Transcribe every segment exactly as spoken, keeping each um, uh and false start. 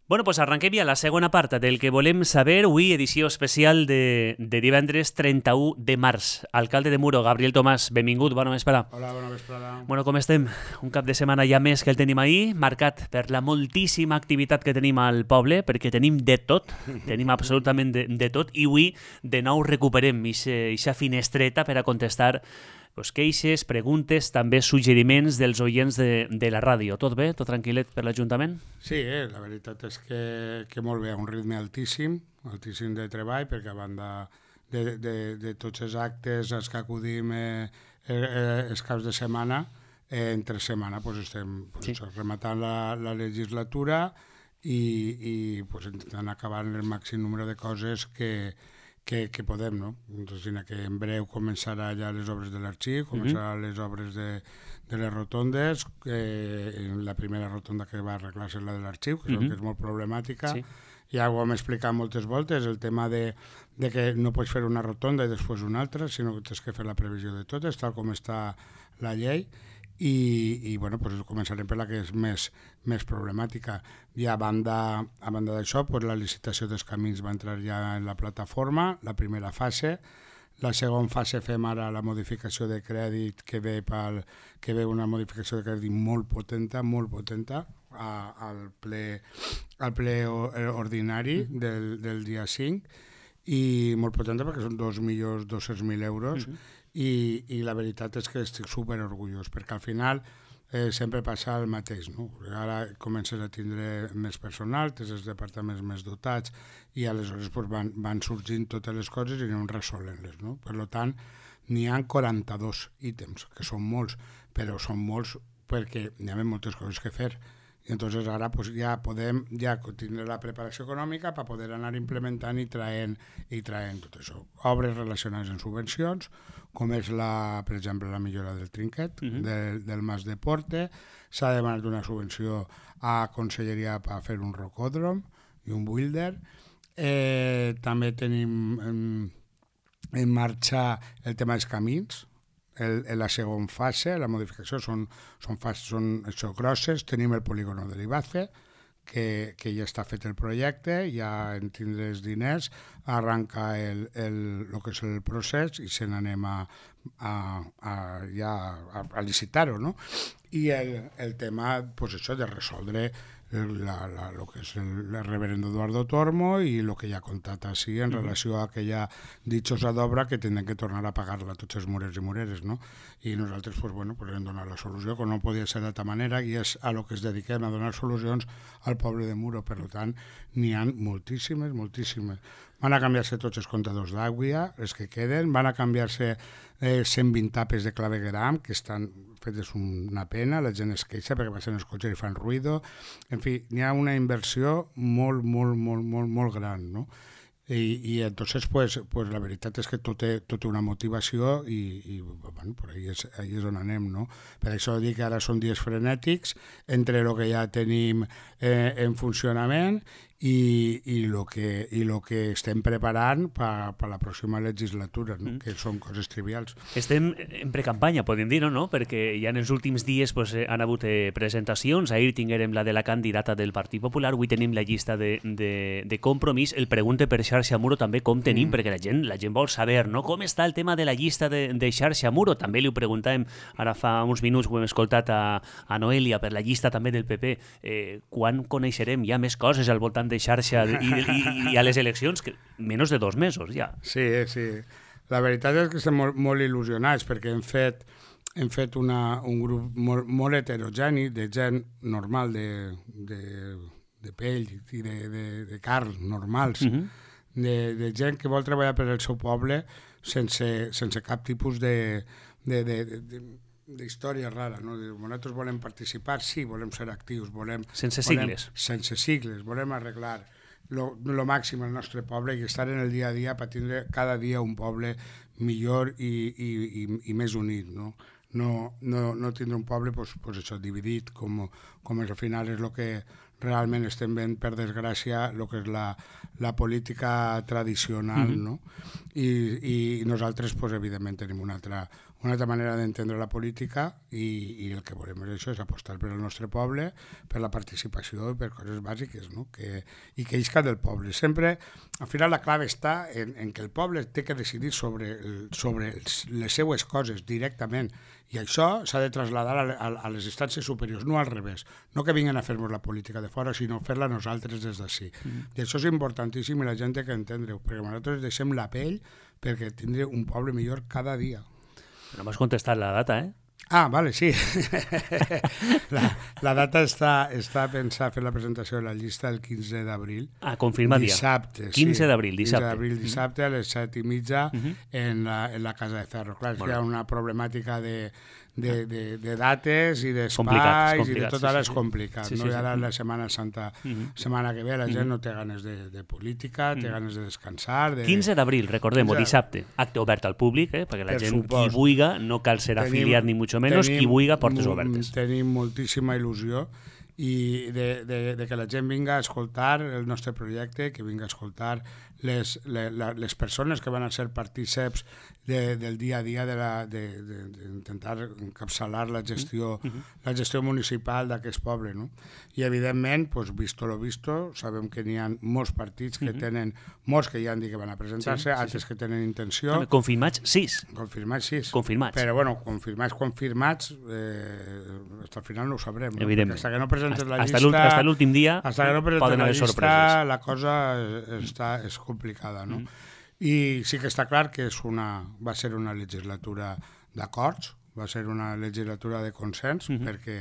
Bueno, doncs arrenquem ja la segona part del que volem saber. Avui, edició especial de, de divendres trenta-u de març. Alcalde de Muro, Gabriel Tomàs, benvingut, bona vesprada. Hola, bona vesprada. Bueno, com estem? Un cap de setmana ja més que el tenim ahir, marcat per la moltíssima activitat que tenim al poble, perquè tenim de tot, tenim absolutament de, de tot, i avui de nou recuperem aquesta finestreta per a contestar pues, queixes, preguntes, també suggeriments dels oients de, de la ràdio. Tot bé? Tot tranquil·let per l'Ajuntament? Sí, eh, la veritat és que, que molt bé, un ritme altíssim, altíssim de treball, perquè a banda de, de, de tots els actes als que acudim eh, eh, els caps de setmana, eh, entre setmana pues, estem pues, sí. rematant la, la legislatura i, i pues, intentant acabar el màxim número de coses que, que, que podem, no? Doncs, que en breu començarà ja les obres de l'arxiu, començaran mm-hmm. les obres de, de les rotondes, eh, la primera rotonda que va arreglar-se és la de l'arxiu, que, mm-hmm. que és molt problemàtica, sí. Ja ho hem explicat moltes voltes, el tema de, de que no pots fer una rotonda i després una altra, sinó que tens que fer la previsió de totes, tal com està la llei, i, i bueno, pues començarem per la que és més, més problemàtica. I a banda, a banda d'això, pues la licitació dels camins va entrar ja en la plataforma, la primera fase. La segona fase fem ara la modificació de crèdit, que ve, pel, que ve una modificació de crèdit molt potenta, molt potenta, a, al ple, al ple ordinari del, del dia cinc, i molt potenta perquè són dos milions dos-cents mil euros, uh-huh. I, i la veritat és que estic super orgullós, perquè al final eh, sempre passa el mateix, no? Ara comences a tindre més personal, tens els departaments més dotats i aleshores pues, van, van sorgint totes les coses i anem resolent-les, no? Per tant, n'hi ha quaranta-dos ítems, que són molts, però són molts perquè hi ha moltes coses que fer. I entonces ara pues, ja podem ja tindre la preparació econòmica per poder anar implementant i traient, i traient tot això. Obres relacionades amb subvencions, com és, la, per exemple, la millora del trinquet, uh-huh. del, del Mas de Porte. S'ha demanat una subvenció a Conselleria per fer un rocòdrom i un builder. Eh, també tenim en, en marxa el tema dels camins. El, en la segona fase, la modificació, són, són, fases, són això, grosses. Tenim el polígono de l'Ibace, que, que ja està fet el projecte, ja en tindre els diners, arranca el, el, el que és el procés i se n'anem a, a, a, ja a, a licitar-ho, no? I el, el tema, pues això, de resoldre La, la, lo que és el, el reverendo Eduardo Tormo i el que ja ha contat així en relació a aquella ditxosa d'obra que tenen que tornar a pagar-la tots els murers i mureres, no? I nosaltres pues, bueno, pues, hem donat la solució, que no podia ser d'altra manera, i és a lo que es dediquem, a donar solucions al poble de Muro. Per tant, n'hi ha moltíssimes, moltíssimes. Van a canviar-se tots els comptadors d'aigua, els que queden, van a canviar-se eh, cent vint tapes de clavegueram, que estan fetes una pena, la gent es queixa perquè passen els cotxes i fan ruïdo. En fi, n'hi ha una inversió molt, molt, molt, molt, molt gran, no? I, i entonces, pues, pues, la veritat és que tot té, tot té una motivació i, i bueno, per ahí és, ahí és on anem, no? Per això dic que ara són dies frenètics entre el que ja tenim eh, en funcionament i, i el que, i lo que estem preparant per pa la pròxima legislatura, no? Mm. Que són coses trivials. Estem en precampanya, podem dir, no? Perquè ja en els últims dies pues, han hagut eh, presentacions. Ahir tinguérem la de la candidata del Partit Popular, avui tenim la llista de, de, de Compromís. El pregunte per Xarxa Muro també com tenim, mm. perquè la gent, la gent vol saber, no? Com està el tema de la llista de, de Xarxa Muro. També li ho preguntàvem, ara fa uns minuts ho hem escoltat a, a Noelia per la llista també del P P. Eh, quan coneixerem ja més coses al voltant de xarxa i, i, i a les eleccions, que menys de dos mesos ja. Sí, sí. La veritat és que estem molt, molt il·lusionats perquè hem fet, hem fet una, un grup molt, molt heterogeni de gent normal, de, de, de pell i de, de, de carn normals, uh-huh. de, de gent que vol treballar per al seu poble sense, sense cap tipus de... de, de, de, de d'història rara, no? Nosaltres volem participar, sí, volem ser actius, volem... Sense volem, sigles. Sense sigles, volem arreglar lo, lo màxim al nostre poble i estar en el dia a dia per tindre cada dia un poble millor i, i, i, i més unit, no? No, no, no tindre un poble pues, pues això, dividit, com, com al final és el que, realment estem veient, per desgràcia, el que és la, la política tradicional, mm-hmm. no? I, i nosaltres, pues, evidentment, tenim una altra, una altra manera d'entendre la política i, i el que volem és això, és apostar per el nostre poble, per la participació i per coses bàsiques, no? Que, i que isca del poble. Sempre, al final, la clave està en, en que el poble té que decidir sobre, el, sobre les seues coses directament, i això s'ha de traslladar a, a, a les instàncies superiors, no al revés. No que vinguin a fer-nos la política de fora, sinó fer-la nosaltres des d'ací. Mm. I això és importantíssim i la gent té que entendre-ho, perquè nosaltres deixem la pell perquè tindre un poble millor cada dia. No m'has contestat la data, eh? Ah, vale, sí. la, la data està, està pensada fer la presentació de la llista el quinze d'abril. Ah, confirma dia. Dissabte, quinze d'abril, dissabte. quinze d'abril, dissabte, a les set i mitja uh-huh. en, la, en la Casa de Ferro. Clar, hi ha una problemàtica de, de, de, de dates i d'espais i de tot ara és complicat. Sí, sí, no? I ara la Setmana Santa, uh-huh. setmana que ve, la gent uh-huh. no té ganes de, de política, té uh-huh. ganes de descansar. De... quinze d'abril, recordem-ho, dissabte. Acte obert al públic, eh? Perquè la per gent, supost. Qui vulga, no cal ser tenim, afiliat ni mucho menos, qui vulga, portes obertes. Tenim moltíssima il·lusió i de, de, de que la gent vinga a escoltar el nostre projecte, que vinga a escoltar les, les, les persones que van a ser partíceps de, del dia a dia d'intentar de, de, de encapçalar la gestió, uh-huh. la gestió municipal d'aquest poble. No? I evidentment, pues, visto lo visto, sabem que n'hi ha molts partits que uh-huh. tenen, molts que ja han dit que van a presentar-se, sí, altres sí, sí. que tenen intenció. Confirmats, sis. Confirmats, sis. Confirmats. Però bueno, confirmats, confirmats, eh, hasta al final no ho sabrem. No? Evidentment. Hasta que no presentes la hasta llista... Hasta l'últim dia hasta que no presentes poden la haver llista, sorpreses. La cosa està, és complicada, no? Mm. I sí que està clar que és una, va ser una legislatura d'acords, va ser una legislatura de consens, mm-hmm. perquè,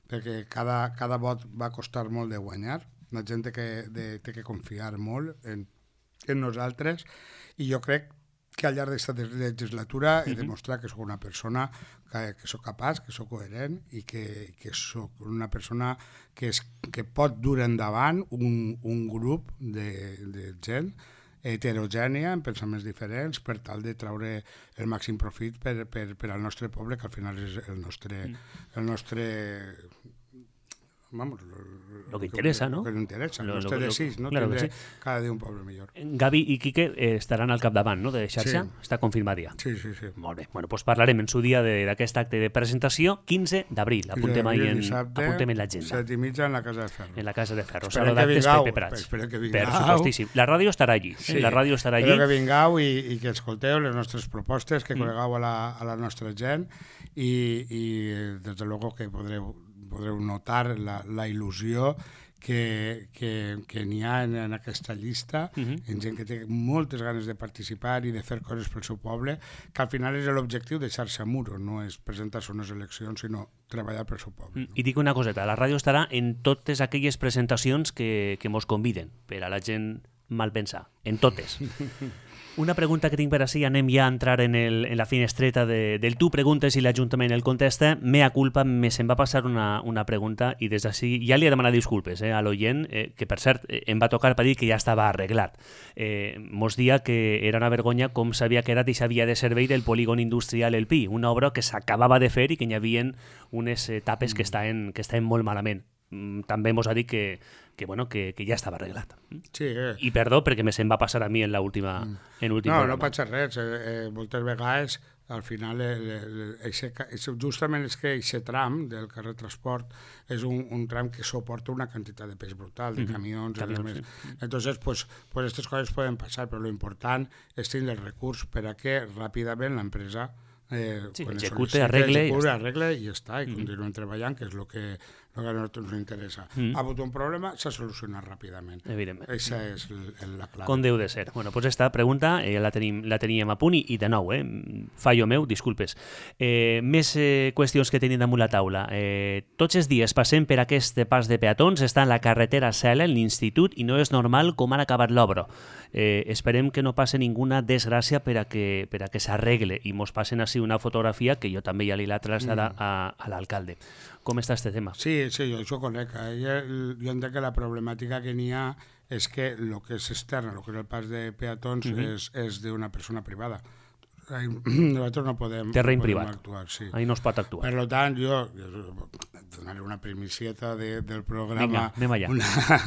perquè cada, cada vot va costar molt de guanyar, la gent té que, de, té que confiar molt en, en nosaltres, i jo crec que al llarg d'aquesta legislatura he demostrat que sóc una persona que, que sóc capaç, que sóc coherent i que, que sóc una persona que, és, que pot dur endavant un, un grup de, de gent heterogènia, amb pensaments diferents, per tal de treure el màxim profit per, per, per al nostre poble, que al final és el nostre... El nostre Vamos, lo, lo que interesa, lo, ¿no? Lo que nos interesa, lo, no lo, lo, decís, ¿no? Claro Tindre que sí. Cada dia un poble millor. Gavi i Quique eh, estaran al capdavant, no?, de xarxa? Sí. Està confirmat ja. Sí, sí, sí. Molt bé. Bueno, doncs parlarem en su dia d'aquest acte de presentació, quinze d'abril. Apuntem ahí en, apuntem en l'agenda. set i mitja en la Casa de Ferro. En la Casa de Ferro. Esperem que vingueu. Esperem que vingueu. Per supostíssim. La ràdio estarà allí. Sí. Eh? La ràdio estarà allí. Espero que vingueu i, i que escolteu les nostres propostes, que mm. conegueu a la, a la nostra gent i, i des de luego que podreu podreu notar la, la il·lusió que, que, que n'hi ha en, en aquesta llista, uh-huh. en gent que té moltes ganes de participar i de fer coses pel seu poble, que al final és l'objectiu de Xarxa Muro, no és presentar-se unes eleccions, sinó treballar pel seu poble. No? I dic una coseta, la ràdio estarà en totes aquelles presentacions que, que mos conviden, per a la gent mal pensar, en totes. Una pregunta que tinc per així, anem ja a entrar en, el, en la finestreta de, del tu preguntes i l'Ajuntament el contesta. Mea culpa, me se'n va passar una, una pregunta i des d'ací ja li he demanat disculpes eh, a l'oient, eh, que per cert eh, em va tocar per dir que ja estava arreglat. Eh, mos dia que era una vergonya com s'havia quedat i s'havia de servei del polígon industrial El Pi, una obra que s'acabava de fer i que hi havia unes etapes que estaven, que estaven molt malament. També mos ha dit que, que, bueno, que, que ja estava arreglat. Sí, eh. I perdó, perquè me se'n va passar a mi en l'última mm. en últim No, programa. no passa res. Eh, eh, moltes vegades, al final, eh, eh, eixe, justament és que aquest tram del carrer Transport és un, un tram que suporta una quantitat de pes brutal, de mm-hmm. camions, camions més. Sí. Entonces, pues, pues estas coses poden passar, però lo important és tenir el recurs per a que ràpidament l'empresa Eh, sí, execute, arregle, execute, i arregle i ja està, i mm-hmm. continuem treballant, que és el que, lo que a nosaltres ens interessa. Mm-hmm. Ha hagut un problema, s'ha solucionat ràpidament. Evidentment. Aquesta és el, el, la clau. Com deu de ser. Bueno, doncs esta pregunta eh, la, tenim, la teníem a punt i, i de nou, eh, fallo meu, disculpes. Eh, més eh, qüestions que tenim damunt la taula. Eh, tots els dies passem per aquest pas de peatons, està en la carretera Cela, en l'institut, i no és normal com han acabat l'obra. Eh, esperem que no passe ninguna desgràcia per a que, per a que s'arregle i mos passen així una fotografia que jo també ja li la traslladar mm. a, a l'alcalde. Com està este tema? Sí, sí, jo això conec. Jo, jo entenc que la problemàtica que n'hi ha és que el que és extern, el que és el pas de peatons, mm-hmm. és, és d'una persona privada. nosaltres no podem, terreny no podem privat. actuar. Sí. Ahí no es pot actuar. Per tant, jo, jo donaré una primicieta de, del programa. Vinga, anem allà. Una,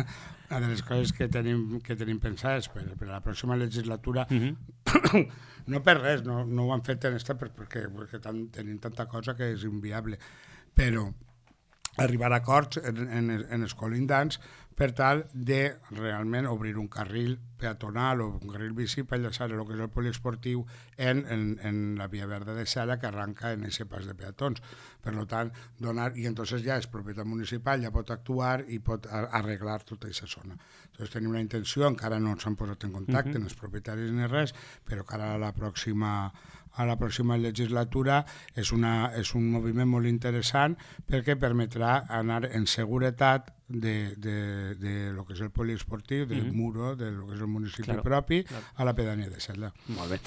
una de les coses que tenim, que tenim pensades per, per a la pròxima legislatura, uh -huh. no per res, no, no ho han fet en esta perquè, perquè tan, tenim tanta cosa que és inviable, però arribar a acords en, en, en els colindants per tal de realment obrir un carril peatonal o un carril bici per enllaçar el que és el poliesportiu en, en, en la via verda de Sala que arranca en aquest pas de peatons. Per tant, donar, i entonces ja és propietat municipal, ja pot actuar i pot arreglar tota aquesta zona. Entonces tenim una intenció, encara no s'han posat en contacte, uh-huh. els propietaris ni res, però que ara a la pròxima a la pròxima legislatura és, una, és un moviment molt interessant perquè permetrà anar en seguretat de, de, de lo que és el poliesportiu, del uh-huh. muro, de lo que és el municipi claro, propi, claro. a la pedania de Selda. Molt bé.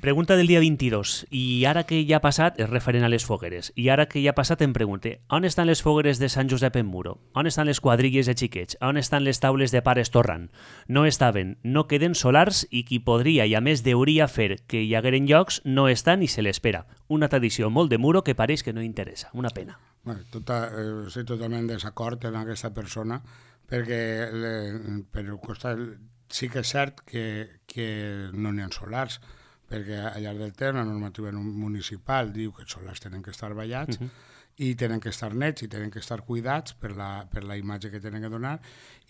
Pregunta del dia vint-i-dos. I ara que ja ha passat, és referent a les fogueres, i ara que ja ha passat em pregunte, on estan les fogueres de Sant Josep en Muro? On estan les quadrilles de xiquets? On estan les taules de pares torrant? No estaven, no queden solars i qui podria i a més deuria fer que hi hagueren llocs no estan i se l'espera. Una tradició molt de Muro que pareix que no interessa. Una pena. Bueno, tota, eh, estic totalment desacord amb aquesta persona perquè le, per costat, sí que és cert que, que no n'hi ha solars perquè al llarg del temps la normativa municipal diu que els solars tenen que estar ballats uh-huh. i tenen que estar nets i tenen que estar cuidats per la, per la imatge que tenen que donar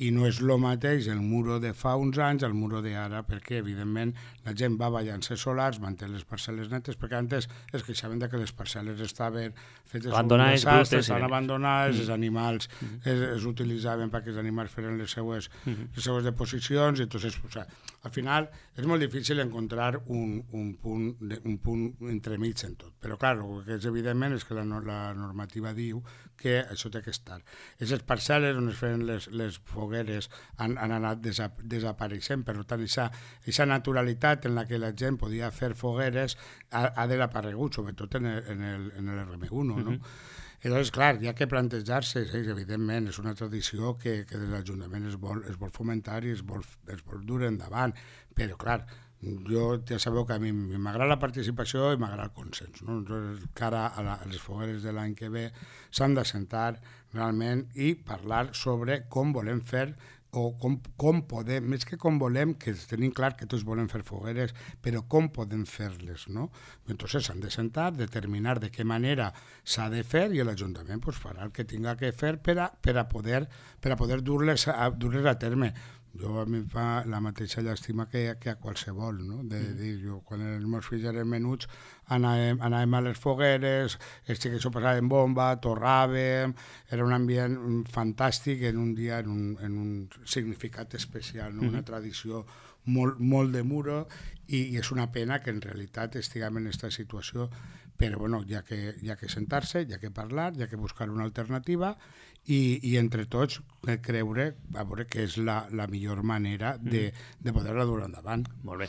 i no és el mateix el muro de fa uns anys al muro d'ara perquè evidentment la gent va ballant-se solars, manté les parcel·les netes perquè antes es queixaven que les parcel·les estaven fetes abandonades, un desastre, brutes, estaven abandonades, mm. els animals mm. es, es utilitzaven perquè els animals feren les seues, mm. les seues deposicions i entonces, o sea, al final és molt difícil encontrar un, un, punt, de, un punt entremig en tot, però clar, el que és evidentment és que la, la normativa diu que això té que estar. Aquestes parcel·les on es feien les, les fogueres han, han anat desa, desapareixent, per tant, aquesta naturalitat en la que la gent podia fer fogueres ha, ha desaparegut, sobretot en el, en el, en el R M u, no? Uh-huh. I llavors, clar, hi ha que plantejar-se, sí, evidentment, és una tradició que, que des de l'Ajuntament es vol, es vol fomentar i es vol, es vol dur endavant, però, clar, jo ja sabeu que a mi m'agrada la participació i m'agrada el consens, no? Entonces, cara a, la, a les fogueres de l'any que ve s'han de sentar realment i parlar sobre com volem fer o com, com podem, més que com volem, que tenim clar que tots volem fer fogueres, però com podem fer-les, no? Entonces s'han de sentar, determinar de què manera s'ha de fer i l'Ajuntament pues, farà el que tinga que fer per a, per a poder, per a poder dur-les a, dur-les a terme. Jo a mi em fa la mateixa llàstima que, que a qualsevol, no? De, de dir, jo, quan els meus fills eren menuts anàvem, anàvem a les fogueres, els xiquets ho passaven bomba, torràvem, era un ambient fantàstic en un dia, en un, en un significat especial, no? Una tradició molt, molt de Muro i, i és una pena que en realitat estiguem en aquesta situació, però bueno, hi ha que, hi ha que sentar-se, hi ha que parlar, hi ha que buscar una alternativa i, i entre tots creure a veure que és la, la millor manera de, de poder-la dur endavant. Molt bé.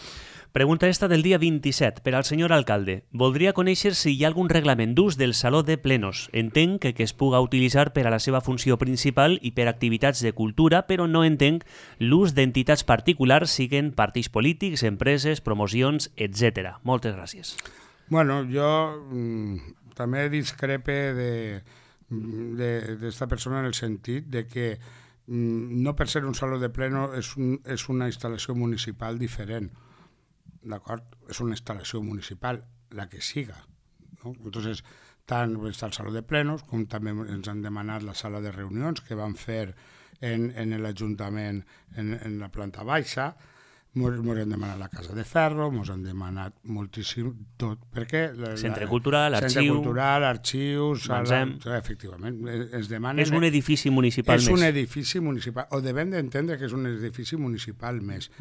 Pregunta esta del dia vint-i-set per al senyor alcalde. Voldria conèixer si hi ha algun reglament d'ús del saló de plenos. Entenc que, que es puga utilitzar per a la seva funció principal i per activitats de cultura, però no entenc l'ús d'entitats particulars, siguen partits polítics, empreses, promocions, etcètera. Moltes gràcies. Bueno, jo mm, també discrepe de d'esta persona en el sentit de que mm, no per ser un saló de pleno és, un, és una instal·lació municipal diferent, d'acord? És una instal·lació municipal, la que siga, no? Entonces, tant està el saló de plenos com també ens han demanat la sala de reunions que van fer en, en l'Ajuntament en, en la planta baixa. Ens han demanat la Casa de Ferro, ens han demanat moltíssim tot, perquè... La, Centre Cultural, Arxiu... Centre Cultural, Arxiu, sala... Manzem. Efectivament, ens demanen... És un edifici municipal és més. És un edifici municipal, o devem d'entendre que és un edifici municipal més,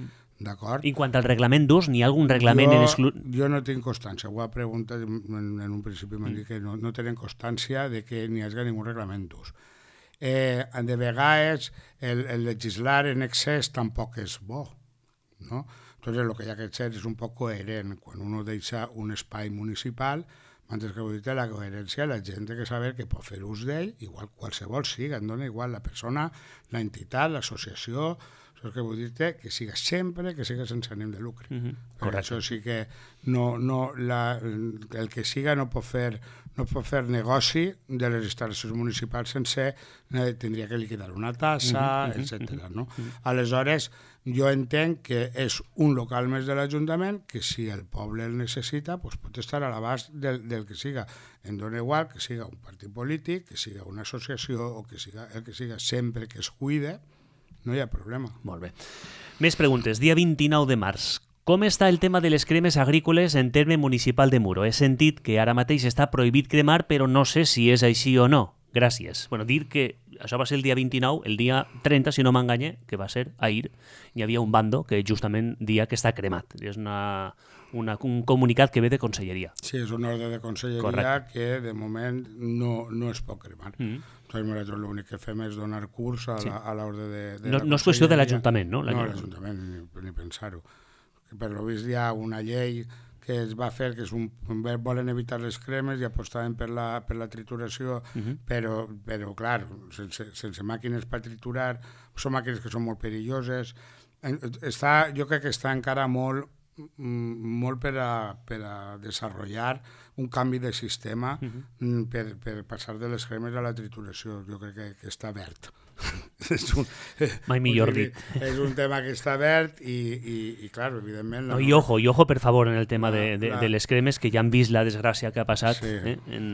d'acord? I quant al reglament d'ús, n'hi ha algun reglament jo, en exclu... Jo no tinc constància, ho ha preguntat en, en un principi, m'han dit que no, no tenen constància de que n'hi hagi ningú reglament d'ús. Eh, de vegades, el, el legislar en excés tampoc és bo, ¿no? Entonces lo que hay que hacer es un poco coherent. Cuando uno deixa un espai municipal, antes que ho dit, la coherència, la gent té que saber que pot fer ús d'ell, igual qualsevol siga, em dona igual la persona, l'entitat, l'associació, o Això que vull dir-te que siga sempre que siga sense ànim de lucre. Uh-huh. Per això sí que no, no, la, el que siga no pot fer no pot fer negoci de les instal·lacions municipals sense eh, tindria que liquidar una tassa, uh-huh, etcètera. No? Uh-huh. Aleshores, jo entenc que és un local més de l'Ajuntament que si el poble el necessita doncs pot estar a l'abast del, del que siga. Em dona igual que siga un partit polític, que siga una associació o que siga el que siga, sempre que es cuide, no hi ha problema. Molt bé. Més preguntes. Dia vint-i-nou de març. Com està el tema de les cremes agrícoles en terme municipal de Muro? He sentit que ara mateix està prohibit cremar, però no sé si és així o no. Gràcies. Bueno, dir que això va ser el dia vint-i-nou, el dia trenta, si no m'enganye, que va ser ahir, hi havia un bando que justament dia que està cremat. És una, una, un comunicat que ve de Conselleria. Sí, és un ordre de Conselleria. Correcte. Que de moment no, no es pot cremar. Mm-hmm. Doncs nosaltres l'únic que fem és donar curs a, sí. la, a l'ordre de, de no, la no és qüestió de l'Ajuntament, no? No, l'Ajuntament, ni, ni pensar-ho. Per lo vist hi ha una llei que es va fer, que és un, volen evitar les cremes i apostaven per la, per la trituració, uh-huh. però, però clar, sense, sense màquines per triturar, són màquines que són molt perilloses. Està, jo crec que està encara molt, molt per a, per a desenvolupar un canvi de sistema uh-huh. per, per passar de les cremes a la trituració. Jo crec que, que està verd. és un, Mai millor dit. És un tema que està verd i, i, i clar, evidentment... No, I ojo, i ojo, per favor, en el tema la, de, de, la... de les cremes, que ja han vist la desgràcia que ha passat sí. eh, en,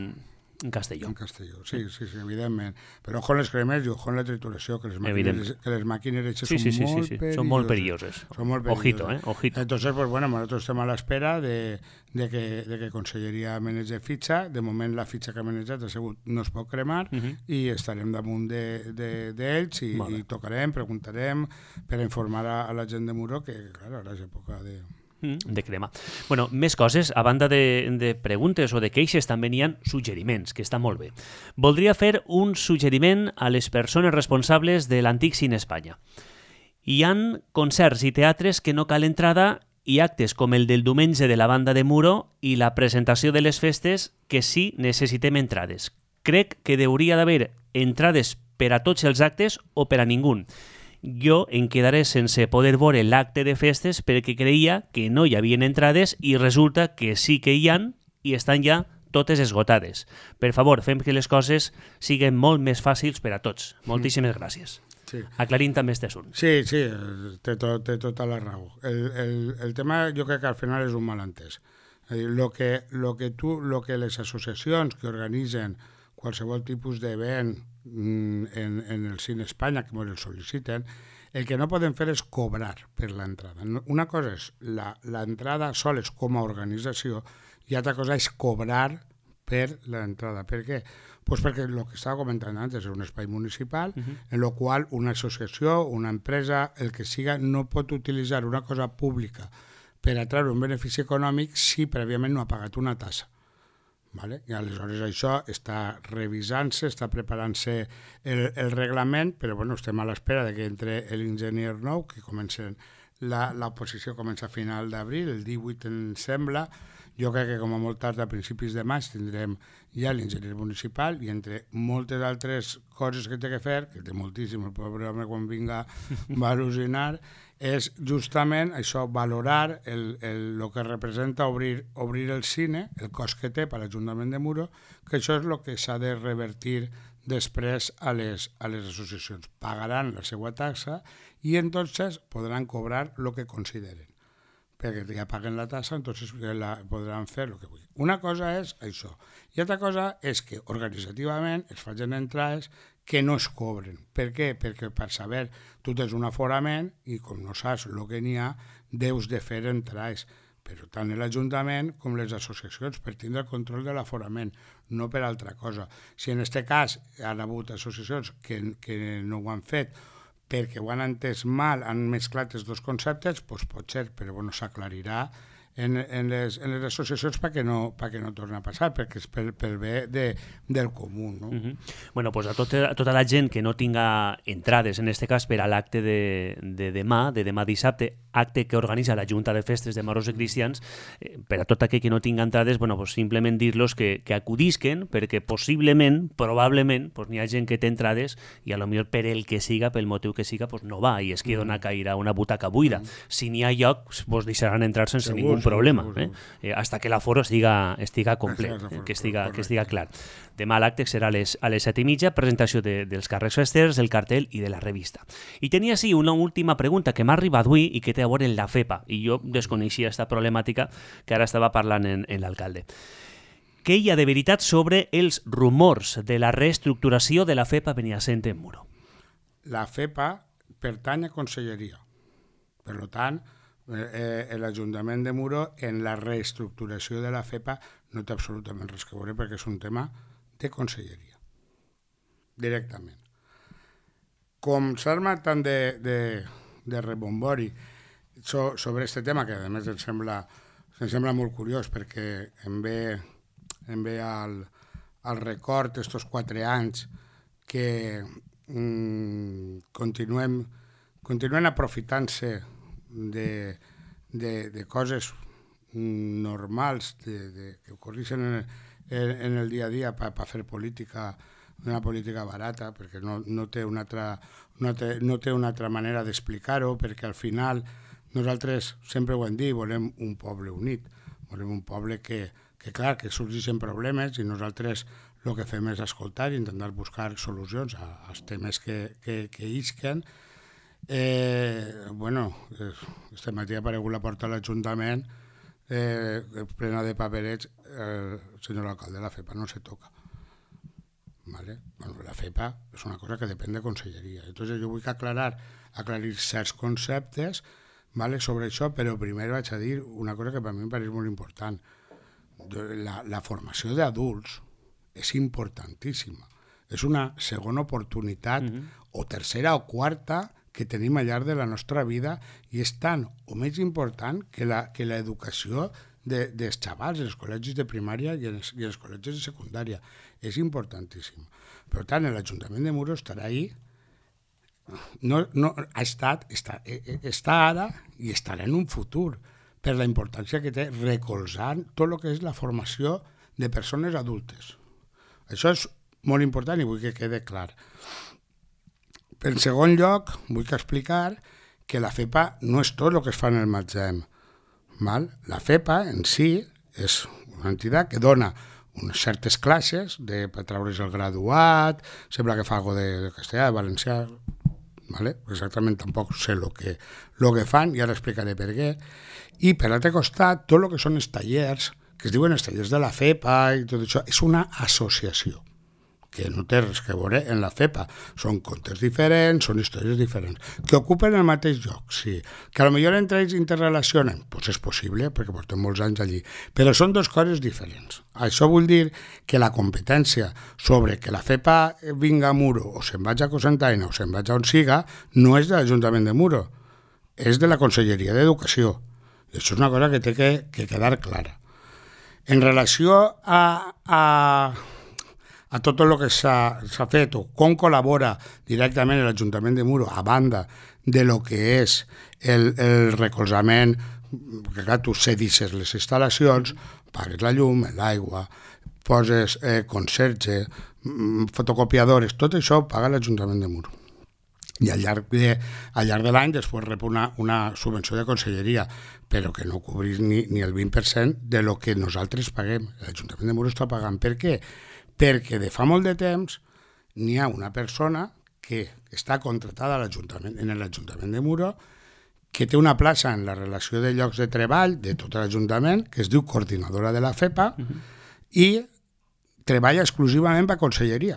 en Castelló. En Castelló, sí, sí, sí, evidentment. Però ojo en les cremes i ojo en la trituració, que les màquines, que les màquines sí, sí, sí, són, sí, molt sí, sí. són molt perilloses. Són molt perilloses. Ojito, eh? Ojito. Entonces, pues bueno, nosotros estem a l'espera de, de, que, de que Conselleria manegi fitxa. De moment la fitxa que ha manejat ha sigut no es pot cremar uh-huh. i estarem damunt d'ells de, de, i, i tocarem, preguntarem per informar a, a la gent de Muro que, clar, ara és època de... de crema. Bueno, més coses, a banda de, de preguntes o de queixes, també n'hi ha suggeriments, que està molt bé. Voldria fer un suggeriment a les persones responsables de l'Antic Cine Espanya. Hi han concerts i teatres que no cal entrada i actes com el del diumenge de la banda de Muro i la presentació de les festes que sí necessitem entrades. Crec que hauria d'haver entrades per a tots els actes o per a ningú. Jo em quedaré sense poder veure l'acte de festes perquè creia que no hi havia entrades i resulta que sí que hi han i estan ja totes esgotades. Per favor, fem que les coses siguin molt més fàcils per a tots. Moltíssimes gràcies. Sí. Aclarim també este assunt. Sí, sí, té, tot, té tota la raó. El, el, el tema jo crec que al final és un malentès. Lo que, lo que, tu, lo que les associacions que organitzen qualsevol tipus d'event en, en el Cine Espanya, que ens el sol·liciten, el que no poden fer és cobrar per l'entrada. Una cosa és l'entrada sols com a organització i altra cosa és cobrar per l'entrada. Per què? Pues perquè el que estava comentant antes és un espai municipal uh-huh. en el qual una associació, una empresa, el que siga, no pot utilitzar una cosa pública per atraure un benefici econòmic si prèviament no ha pagat una tassa. Vale? I aleshores això està revisant-se, està preparant-se el, el reglament, però bueno, estem a l'espera de que entre l'enginyer nou, que comencen la, la posició comença a final d'abril, el divuit em sembla. Jo crec que com a molt tard a principis de maig tindrem ja l'enginyer municipal i entre moltes altres coses que té que fer, que té moltíssim, el pobre home quan vinga va al·lucinar, és justament això, valorar el, el, el que representa obrir, obrir el cine, el cost que té per l'Ajuntament de Muro, que això és el que s'ha de revertir després a les, a les associacions. Pagaran la seva taxa i entonces podran cobrar el que consideren. Perquè ja paguen la tassa, entonces la, podran fer el que vulguin. Una cosa és això. I altra cosa és que organitzativament es facin entrades que no es cobren. Per què? Perquè per saber, tu tens un aforament i com no saps el que n'hi ha, deus de fer entrades. Però tant l'Ajuntament com les associacions per tindre el control de l'aforament, no per altra cosa. Si en aquest cas han hagut associacions que, que no ho han fet perquè ho han entès mal, han mesclat els dos conceptes, doncs pot ser, però bueno, s'aclarirà en, en, les, en les associacions perquè no, perquè no torni a passar, perquè és pel, pel bé de, del comú. No? Uh -huh. Bueno, pues a, tot, a tota la gent que no tinga entrades, en aquest cas per a l'acte de, de demà, de demà dissabte, acte que organitza la Junta de Festes de Moros i Cristians, eh, per a tot aquell que no tinga entrades, bueno, pues simplement dir-los que, que acudisquen, perquè possiblement, probablement, pues n'hi ha gent que té entrades i a lo millor per el que siga, pel motiu que siga, pues no va i es queda una caïra, una butaca buida. Si n'hi ha lloc, vos deixaran entrar sense segur, ningú segur, problema, segur, eh? Eh, hasta que l'aforo estiga, estiga complet, Exacte, eh? que, estiga, correcte. que estiga clar. Demà l'acte serà a les, a les set i mitja, presentació de, dels càrrecs festers, del cartell i de la revista. I tenia sí una última pregunta que m'ha arribat avui i que té a veure amb la FEPA, i jo desconeixia aquesta problemàtica que ara estava parlant en, en l'alcalde. Què hi ha de veritat sobre els rumors de la reestructuració de la FEPA Beniasent en Muro? La FEPA pertany a Conselleria. Per tant, eh, eh, l'Ajuntament de Muro en la reestructuració de la FEPA no té absolutament res que veure perquè és un tema de Conselleria. Directament. Com s'arma tant de, de, de rebombori so, sobre aquest tema, que a més em sembla, em sembla molt curiós perquè em ve, em ve al, al record estos quatre anys que mm, continuem, continuem aprofitant-se de, de, de coses normals de, de, que ocorreixen en, en, en el dia a dia per pa fer política, una política barata, perquè no, no, té una altra, no, té, no té una altra manera d'explicar-ho, perquè al final nosaltres sempre ho hem dit, volem un poble unit, volem un poble que, que clar, que sorgeixen problemes i nosaltres el que fem és escoltar i intentar buscar solucions als temes que, que, que isquen. Eh, bueno, este matí ha aparegut la porta de l'Ajuntament eh, plena de paperets, el senyor alcalde, la FEPA no se toca. ¿Vale? Bueno, la FEPA és una cosa que depèn de Conselleria. Entonces jo vull aclarar, aclarir certs conceptes, ¿vale? Sobre això, però primer vaig a dir una cosa que per mi em pareix molt important. La, la formació d'adults és importantíssima. És una segona oportunitat, mm-hmm. o tercera o quarta, que tenim al llarg de la nostra vida i és tant o més important que la, que l'educació de, dels xavals, els col·legis de primària i els, i els col·legis de secundària. És importantíssim. Per tant, l'Ajuntament de Muro estarà ahí, no, no, ha estat, està, està ara i estarà en un futur, per la importància que té recolzant tot el que és la formació de persones adultes. Això és molt important i vull que quede clar. En segon lloc, vull explicar que la FEPA no és tot el que es fa en el Matzem. Val? La FEPA en si és una entitat que dona unes certes classes de, per treure's el graduat, sembla que fa alguna de, de castellà, de valencià, vale? Exactament tampoc sé el que, lo que fan, i ara explicaré per què. I per l'altre costat, tot el que són els tallers, que es diuen els tallers de la FEPA i tot això, és una associació que no té res que veure en la FEPA. Són contes diferents, són històries diferents, que ocupen el mateix lloc, sí. Que potser entre ells interrelacionen, doncs és possible, perquè portem molts anys allí, però són dues coses diferents. Això vol dir que la competència sobre que la FEPA vinga a Muro, o se'n vaig a Cocentaina, o se'n vaig a on siga, no és de l'Ajuntament de Muro, és de la Conselleria d'Educació. I això és una cosa que té que, que quedar clara. En relació a... a a tot el que s'ha fet o com col·labora directament l'Ajuntament de Muro a banda de lo que és el, el recolzament, perquè clar, tu cedisses les instal·lacions, pagues la llum, l'aigua, poses eh, conserge, fotocopiadores, tot això paga l'Ajuntament de Muro. I al llarg de, al llarg de l'any després rep una, una subvenció de conselleria, però que no cobrís ni, ni el vint per cent de lo que nosaltres paguem. L'Ajuntament de Muro està pagant. Per què? Perquè de fa molt de temps n'hi ha una persona que està contratada a l'Ajuntament, en l'Ajuntament de Muro, que té una plaça en la relació de llocs de treball de tot l'Ajuntament, que es diu coordinadora de la FEPA, uh-huh. i treballa exclusivament per Conselleria.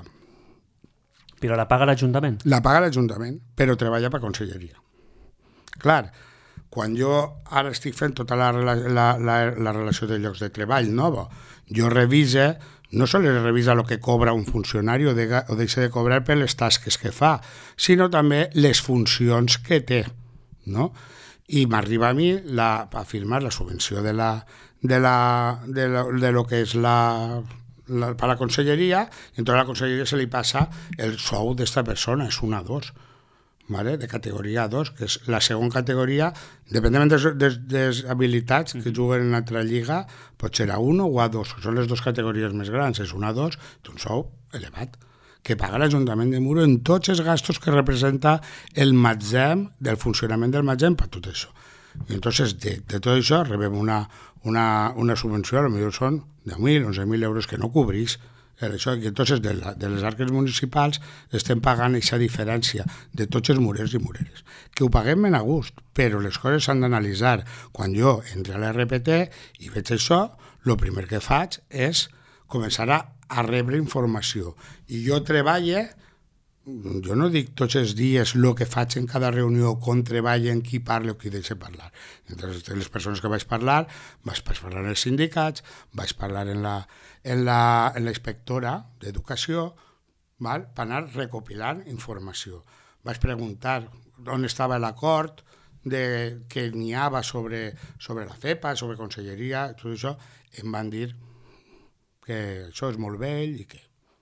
Però la paga l'Ajuntament? La paga l'Ajuntament, però treballa per Conselleria. Clar, quan jo ara estic fent tota la, la, la, la relació de llocs de treball nova, jo revise... no sols revisa el que cobra un funcionari o, de, o deixa de cobrar per les tasques que fa, sinó també les funcions que té, no? i m'arriba a mi la, a firmar la subvenció de la, de, la, de, la, de lo que és la, la, per la conselleria, i entonces a la conselleria se li passa el sou d'esta persona, és un A dos, ¿vale? De categoria A dos, que és la segona categoria, dependent de les, de les habilitats que juguen en l'altra lliga, pot ser A un o A dos, que són les dues categories més grans, és un A dos, té un sou elevat, que paga l'Ajuntament de Muro en tots els gastos que representa el matzem, del funcionament del matzem, per tot això. I entonces, de, de tot això, rebem una, una, una subvenció, potser són deu mil, onze mil euros que no cobrís. Això, i entonces, de, la, de les arques municipals estem pagant aquesta diferència de tots els murers i mureres. Que ho paguem ben a gust, però les coses s'han d'analitzar. Quan jo entro a l'R P T i veig això, el primer que faig és començar a a rebre informació. I jo treballe, jo no dic tots els dies el que faig en cada reunió, com treballe, en qui parla o qui deixa parlar. Entre les persones que vaig parlar, vaig parlar en els sindicats, vaig parlar en la, en la, en la inspectora d'educació, val? Per anar recopilant informació. Vaig preguntar on estava l'acord de, que n'hi havia sobre, sobre la FEPA, sobre conselleria, tot això, em van dir que això és molt vell i que,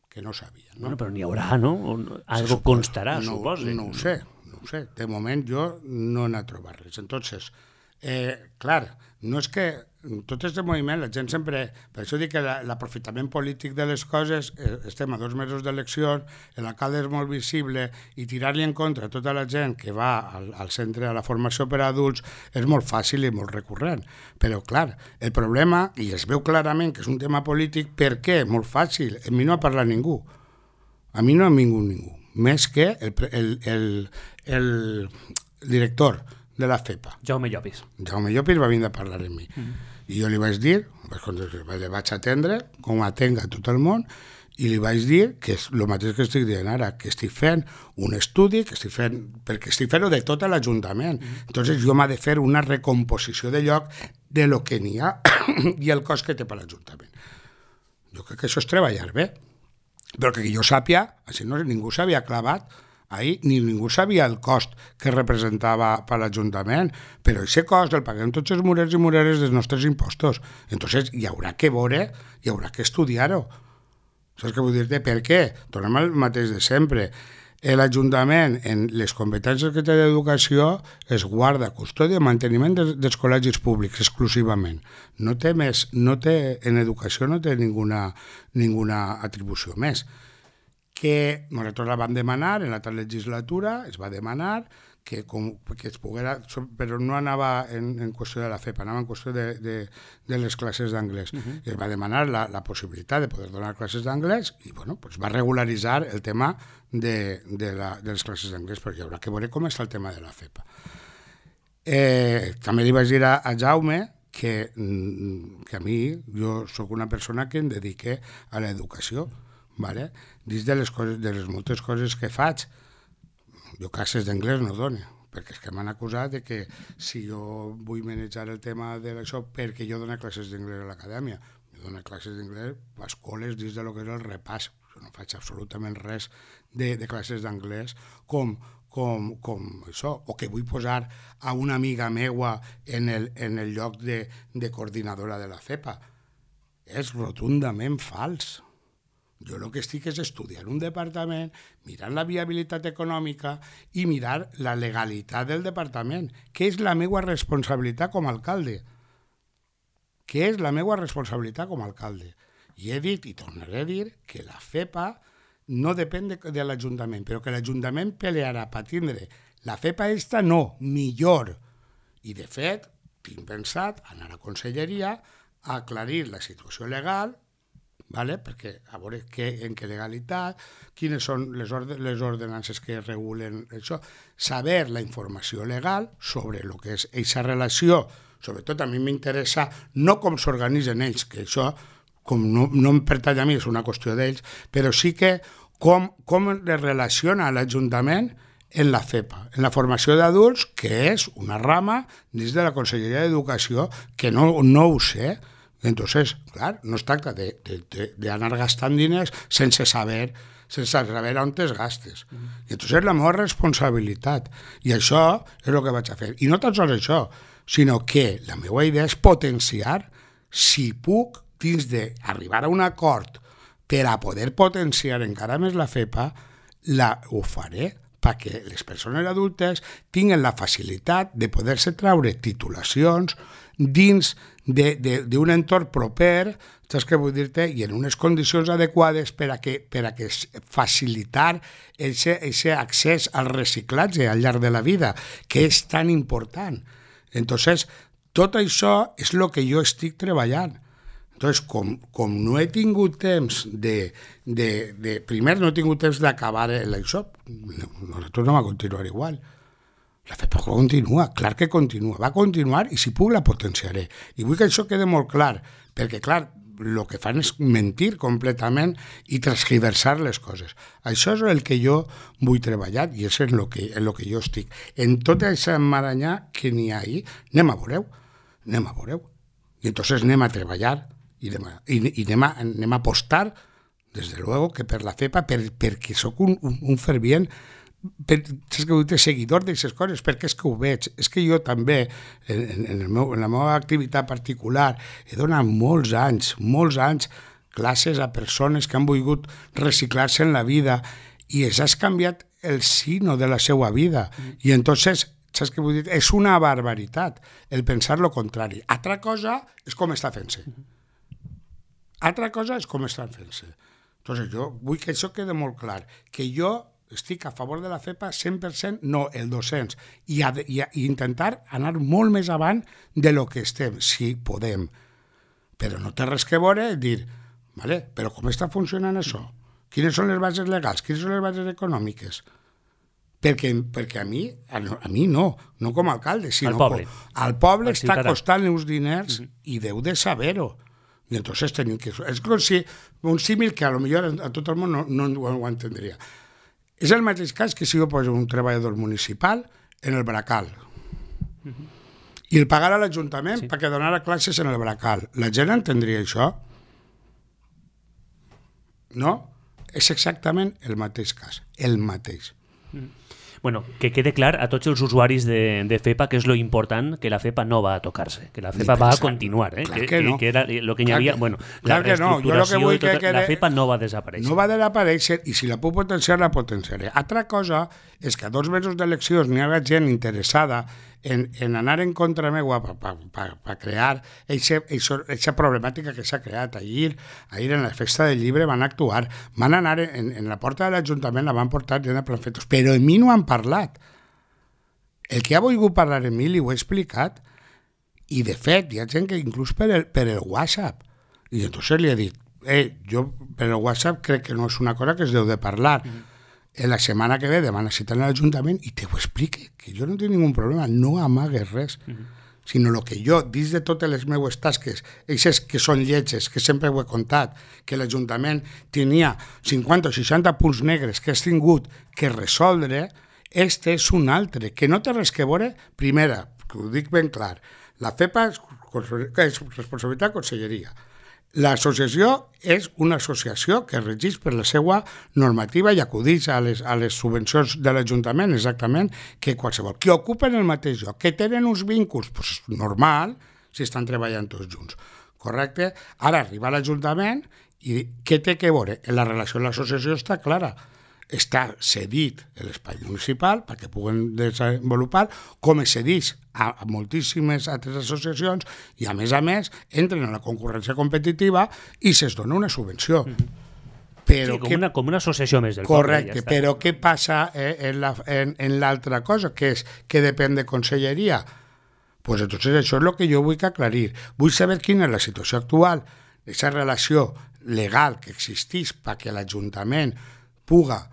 que no sabia. No? Bueno, però n'hi haurà, no? Algo sí, constarà, no, suposo. No ho sé, no ho sé. De moment jo no n'he trobat res. Entonces, eh, clar, no és que tot aquest moviment, la gent sempre... Per això dic que l'aprofitament polític de les coses, eh, estem a dos mesos d'eleccions, l'alcalde és molt visible, i tirar-li en contra a tota la gent que va al, al centre, a la formació per a adults, és molt fàcil i molt recurrent. Però, clar, el problema, i es veu clarament que és un tema polític, per què? Molt fàcil. A mi no ha parlat ningú. A mi no ha vingut ningú. Més que el, el, el, el director de la FEPA. Jaume Llopis. Jaume Llopis va vindre a parlar amb mi. Mm-hmm. I jo li vaig dir, li vaig atendre, com atenga tot el món, i li vaig dir que és el mateix que estic dient ara, que estic fent un estudi, que estic fent, perquè estic fent-ho de tot l'Ajuntament. Mm-hmm. Entonces jo m'ha de fer una recomposició de lloc de lo que n'hi ha i el cost que té per l'Ajuntament. Jo crec que això és treballar bé, però que jo sàpia, així no, ningú s'havia clavat ahir, ni ningú sabia el cost que representava per l'Ajuntament, però aquest cost el paguem tots els murers i mureres dels nostres impostos. Entonces hi haurà que veure, hi haurà que estudiar-ho. Saps què vull dir-te? Per què? Tornem al mateix de sempre. L'Ajuntament, en les competències que té d'educació, es guarda, custòdia i manteniment dels, dels col·legis públics exclusivament. No té més, no té, en educació no té ninguna, ninguna atribució més. Que nosaltres la vam demanar en l'altra legislatura, es va demanar que, com, que es poguera, però no anava en, en qüestió de la FEPA, anava en qüestió de, de, de les classes d'anglès. Uh-huh. I es va demanar la, la possibilitat de poder donar classes d'anglès i bueno, pues va regularitzar el tema de, de, la, de les classes d'anglès, però hi haurà que veure com està el tema de la FEPA. Eh, també li vaig dir a, a Jaume que, que a mi, jo sóc una persona que em dedique a l'educació, vale? Dins de les, coses, de les moltes coses que faig, jo classes d'anglès no dono, perquè és que m'han acusat de que si jo vull manejar el tema d'això perquè jo dono classes d'anglès a l'acadèmia. Jo dono classes d'anglès a escoles dins de lo que és el repàs. Jo no faig absolutament res de, de classes d'anglès com, com, com això, o que vull posar a una amiga meua en el, en el lloc de, de coordinadora de la FEPA. És rotundament fals. Jo el que estic és estudiar un departament, mirar la viabilitat econòmica i mirar la legalitat del departament, que és la meva responsabilitat com a alcalde. Que és la meva responsabilitat com a alcalde. I he dit, i tornaré a dir, que la FEPA no depèn de, de l'Ajuntament, però que l'Ajuntament pelearà per tindre la FEPA esta no, millor. I de fet, tinc pensat anar a Conselleria a aclarir la situació legal, vale? Perquè a veure que, en què legalitat, quines són les, orde, les ordenances que regulen això, saber la informació legal sobre el que és aquesta relació, sobretot a mi m'interessa no com s'organitzen ells, que això com no, no em pertany a mi, és una qüestió d'ells, però sí que com, com es relaciona l'Ajuntament en la FEPA, en la formació d'adults, que és una rama dins de la Conselleria d'Educació, que no, no ho sé. Entonces, clar, no es tracta d'anar gastant diners sense saber, sense saber on es gastes. Mm. I entonces és la meva responsabilitat. I això és el que vaig a fer. I no tan sols això, sinó que la meva idea és potenciar, si puc, dins d'arribar a un acord per a poder potenciar encara més la FEPA, la, ho faré perquè les persones adultes tinguin la facilitat de poder-se traure titulacions dins d'un entorn proper, saps què vull dir-te? I en unes condicions adequades per a que, per a que facilitar aquest accés al reciclatge al llarg de la vida, que és tan important. Entonces, tot això és el que jo estic treballant. Entonces, com, com no he tingut temps de, de, de... Primer, no he tingut temps d'acabar l'això, nosaltres no va continuar igual. La FEPA continua, clar que continua, va continuar i si puc la potenciaré. I vull que això quede molt clar, perquè, clar, el que fan és mentir completament i transgiversar les coses. Això és el que jo vull treballar i és en el que, en el que jo estic. En tot aquest emmaranyar que n'hi ha ahí, anem a veureu, anem a veureu. I entonces anem a treballar i anem a, i, i anem a, anem a apostar, des de luego, que per la FEPA, per, perquè sóc un, un, un fervient per, saps que vull dir, seguidor d'aquestes coses, perquè és que ho veig. És que jo també, en, en, el meu, en la meva activitat particular, he donat molts anys, molts anys, classes a persones que han volgut reciclar-se en la vida i es has canviat el sino de la seva vida. Mm. I entonces, saps què vull dir? És una barbaritat el pensar lo contrari. Altra cosa és com està fent-se. Mm. Altra cosa és com estan fent-se. Entonces, jo vull que això quede molt clar, que jo estic a favor de la FEPA cent per cent, no, el dos-cents, i, a, i, a, i intentar anar molt més avant de lo que estem, si podem. Però no té res que veure dir, vale, però com està funcionant això? Quines són les bases legals? Quines són les bases econòmiques? Perquè, perquè a mi, a, a mi no, no com a alcalde, sinó al poble, com, al poble està costant uns diners mm-hmm. i deu de saber-ho. I entonces tenim que... És com si un símil que a lo millor a tot el món no, no ho, ho entendria. És el mateix cas que si jo poso un treballador municipal en el Bracal uh-huh. i el pagara a l'Ajuntament sí. perquè donara classes en el Bracal. La gent entendria això? No? És exactament el mateix cas, el mateix. Uh-huh. Bueno, que quede clar a tots els usuaris de, de FEPA que és lo important, que la FEPA no va a tocar-se, que la FEPA va a continuar, eh? Clar que, que no. que era lo que hi havia, que, bueno, clar la que no. Jo lo que vull tota, que la FEPA no va desaparèixer. No va desaparèixer i si la puc potenciar, la potenciaré. Altra cosa és que a dos mesos d'eleccions n'hi ha gent interessada en, en anar en contra meua per pa, pa, pa crear aquesta problemàtica que s'ha creat. Ahir, ahir en la festa del llibre van actuar, van anar en, en la porta de l'Ajuntament, la van portar gent de planfetos, però en mi no han parlat. El que ha volgut parlar en mi li ho he explicat i de fet hi ha gent que inclús per el, per el WhatsApp i entonces li he dit eh, jo per el WhatsApp crec que no és una cosa que es deu de parlar mm. en la setmana que ve demana cita en l'Ajuntament i te ho explique, que jo no tinc ningú problema, no amagues res mm. sinó el que jo, dins de totes les meues tasques, eixes que són lletges, que sempre ho he contat, que l'Ajuntament tenia cinquanta o seixanta punts negres que has tingut que resoldre. Este és un altre, que no té res que veure, primera, que ho dic ben clar, la FEPA és, és responsabilitat de conselleria. L'associació és una associació que regeix per la seva normativa i acudeix a les, a les subvencions de l'Ajuntament, exactament, que qualsevol. Que ocupen el mateix lloc, que tenen uns vincles, pues, normal, si estan treballant tots junts. Correcte? Ara arriba a l'Ajuntament i què té que veure? En la relació amb l'associació està clara. Està cedit l'espai municipal perquè puguen desenvolupar, com es cedeix a, a moltíssimes altres associacions i, a més a més, entren en la concurrència competitiva i se'ls dona una subvenció. Mm-hmm. Però sí, com, que, una, com una associació més del correcte, poble. Ja però què passa eh, en, la, en, en l'altra cosa, que és que depèn de conselleria? Pues entonces això és el que jo vull que aclarir. Vull saber quina és la situació actual, aquesta relació legal que existeix perquè l'Ajuntament puga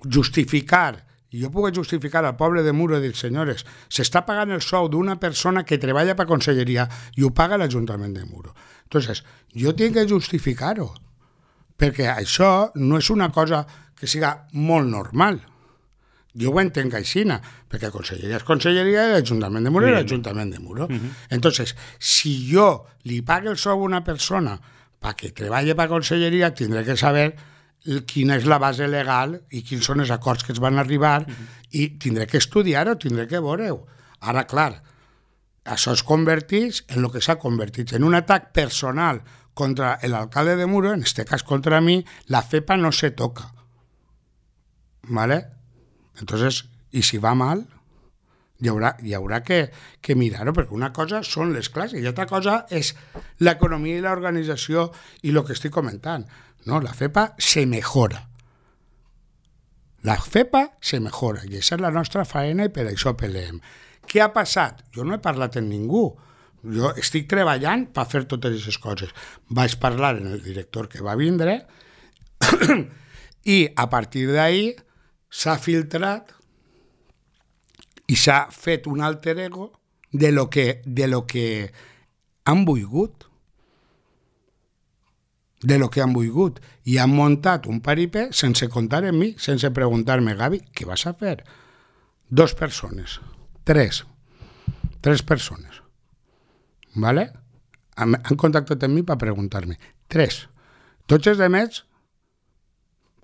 justificar, i jo puc justificar al poble de Muro i dir, senyores, s'està pagant el sou d'una persona que treballa per conselleria i ho paga l'Ajuntament de Muro. Entonces, jo tinc que justificar-ho, perquè això no és una cosa que siga molt normal. Jo ho entenc així, perquè conselleria és conselleria i l'Ajuntament de Muro és l'Ajuntament de Muro. Uh-huh. Entonces, si jo li pague el sou a una persona perquè treballi per conselleria, tindré que saber quina és la base legal i quins són els acords que es van arribar, mm-hmm. i tindré que estudiar-ho, tindré que veure-ho. Ara, clar, això es converteix en el que s'ha convertit, en un atac personal contra l'alcalde de Muro, en este cas contra mi. La FEPA no se toca. ¿Vale? Entonces, y si va mal, hi haurà, hi haurà que, que mirar-ho, perquè una cosa són les classes i altra cosa és l'economia i l'organització i el que estic comentant. No, la FEPA se mejora. La FEPA se mejora i aquesta és la nostra faena i per això peleem. Què ha passat? Jo no he parlat amb ningú. Jo estic treballant per fer totes aquestes coses. Vaig parlar amb el director que va vindre i a partir d'ahir s'ha filtrat i s'ha fet un alter ego de lo que, de lo que han volgut. De lo que han volgut. I han muntat un paripé sense comptar en mi, sense preguntar-me, Gavi, què vas a fer? Dos persones. Tres. Tres persones. ¿Vale? Han, han contactat amb mi per preguntar-me. Tres. Tots els demés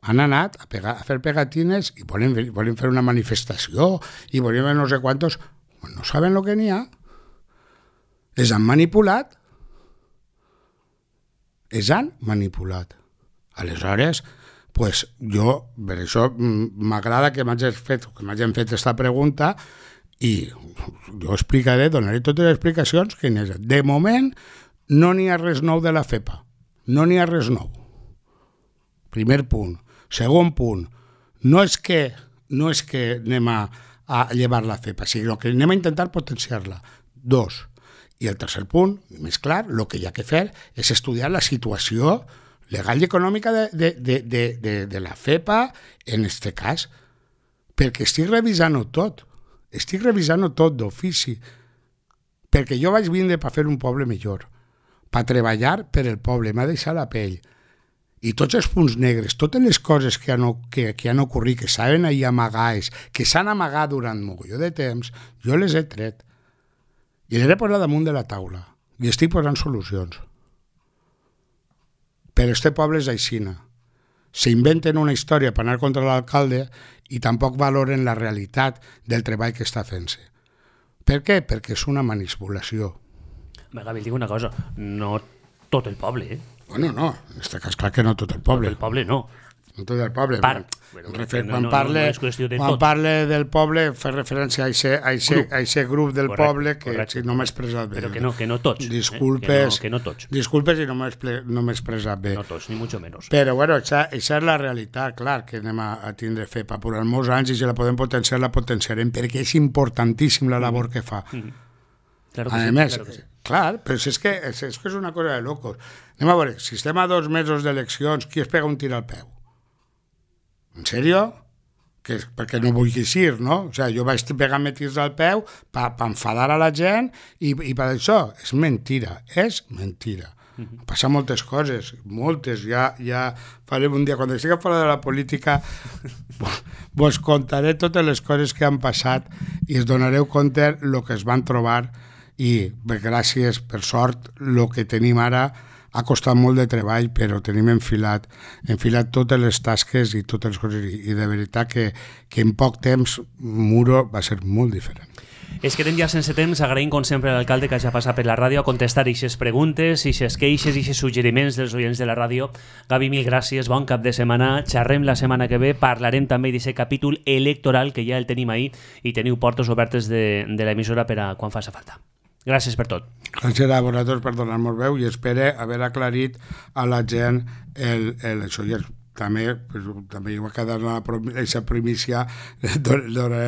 han anat a, pegar, a fer pegatines i volen, volen fer una manifestació i volen fer no sé quantos. No saben el que n'hi ha. Els han manipulat. Els han manipulat. Aleshores, pues, jo, per això m'agrada que m'hagin fet, que m'hagin fet aquesta pregunta i jo explicaré, donaré totes les explicacions que n'hi ha. De moment, no n'hi ha res nou de la FEPA. No n'hi ha res nou. Primer punt. Segon punt, no és que, no és que anem a, a llevar la FEPA, sinó que anem a intentar potenciar-la. Dos. I el tercer punt, més clar, el que hi ha que fer és estudiar la situació legal i econòmica de, de, de, de, de, de la FEPA en aquest cas, perquè estic revisant-ho tot. Estic revisant-ho tot d'ofici. Perquè jo vaig vindre per fer un poble millor, per treballar per el poble, m'ha deixat la pell. I tots els punts negres, totes les coses que han, que, que han ocorrit, que saben ahir amagades, que s'han amagat durant mogolló de temps, jo les he tret. I les he posat damunt de la taula. I estic posant solucions. Però este poble és aixina. S'inventen una història per anar contra l'alcalde i tampoc valoren la realitat del treball que està fent-se. Per què? Perquè és una manipulació. Gavi, dic una cosa, no tot el poble, eh? Bueno, no, en aquest cas clar que no tot el poble. Tot el poble no. No tot el poble. Part. Bueno, refer, no, quan no, parle, no, no és qüestió de quan tot. parle del poble, fa referència a aquest grup del correcte, poble que correcte. si no m'he expressat bé. Però que no, que no tots. Disculpes, eh? que, no, que no tots. Disculpes si no m'he no expressat bé. No tots, ni mucho menos. Però bueno, això és la realitat, clar, que anem a, a tindre FEPA per molts anys i si la podem potenciar, la potenciarem, perquè és importantíssim la labor que fa. Mm-hmm. Claro que a sí, més, claro que sí. Clar, però és que, és, és que és una cosa de locos. Anem a veure, si estem a dos mesos d'eleccions, qui es pega un tir al peu? En sèrio? Que, perquè no vulguis ir, no? O sigui, jo vaig pegar-me tirs al peu per pa enfadar a la gent i, i per això. És mentira, és mentira. Uh-huh. Passen moltes coses, moltes. Ja, ja farem un dia, quan estigui fora de la política, vos contaré totes les coses que han passat i es donareu compte el que es van trobar i, per gràcies, per sort, el que tenim ara ha costat molt de treball, però tenim enfilat, enfilat totes les tasques i totes les coses, i de veritat que, que en poc temps Muro va ser molt diferent. Es quedem ja sense temps, agraïm com sempre a l'alcalde que hagi passat per la ràdio a contestar aquestes preguntes, aquestes queixes i aquests suggeriments dels oients de la ràdio. Gavi, mil gràcies, bon cap de setmana, xerrem la setmana que ve, parlarem també d'aquest capítol electoral que ja el tenim ahir i teniu portes obertes de, de l'emissora per a quan faci falta. Gràcies per tot. Gràcies a vosaltres per donar-nos veu i espero haver aclarit a la gent el, el, això. I també, pues, també hi va quedar aquesta primícia de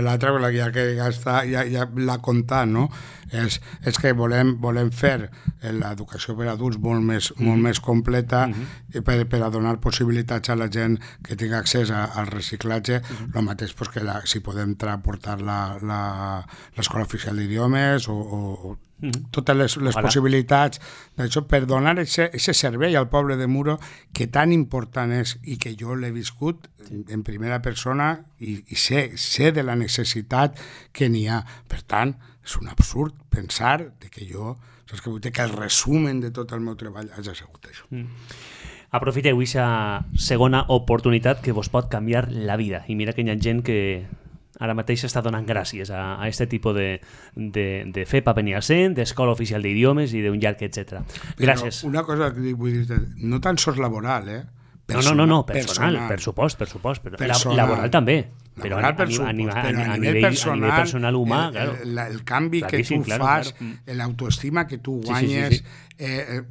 l'altra, ja que ja, està, ja, ja l'ha contat, no? És, és que volem, volem fer l'educació per a adults molt més, mm-hmm. molt més completa mm-hmm. per, per a donar possibilitats a la gent que tingui accés a, al reciclatge, mm-hmm. el mateix pues, que la, si podem portar l'Escola Oficial d'Idiomes o, o Mm-hmm. totes les, les possibilitats d'això per donar aquest servei al poble de Muro que tan important és i que jo l'he viscut sí. en primera persona i, i sé, sé de la necessitat que n'hi ha. Per tant, és un absurd pensar de que jo, saps que vull dir que el resumen de tot el meu treball hagi sigut això. Mm. Aprofiteu aquesta segona oportunitat que vos pot canviar la vida. I mira que hi ha gent que ara mateix està donant gràcies a aquest tipus de, de, de F E P A Beniassent, d'Escola Oficial d'Idiomes i d'un llarg, etcètera. Gràcies. Però una cosa que vull dir, no tan sols laboral, eh? Personal, no, no, no, personal, personal, per supost, per supost. Però personal. Laboral també, però a, per a, a, a, però a, a, nivell, nivell, personal, a nivell personal humà, el, claro. el, el canvi Claríssim, que tu claro, fas, claro. l'autoestima que tu guanyes, sí, sí, sí, sí. Eh, eh,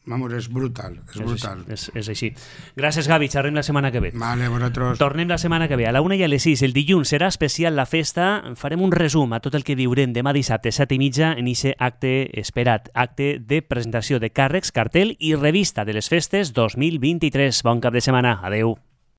vamos, és brutal, és, és brutal. És, és així. Gràcies, Gavi, xerrem la setmana que ve. Vale, vosaltres. Tornem la setmana que ve, a la una i a les sis. El dilluns serà especial la festa. Farem un resum a tot el que viurem demà dissabte, set i mitja, en aquest acte esperat, acte de presentació de càrrecs, cartel i revista de les festes dos mil vint-i-tres. Bon cap de setmana. Adeu.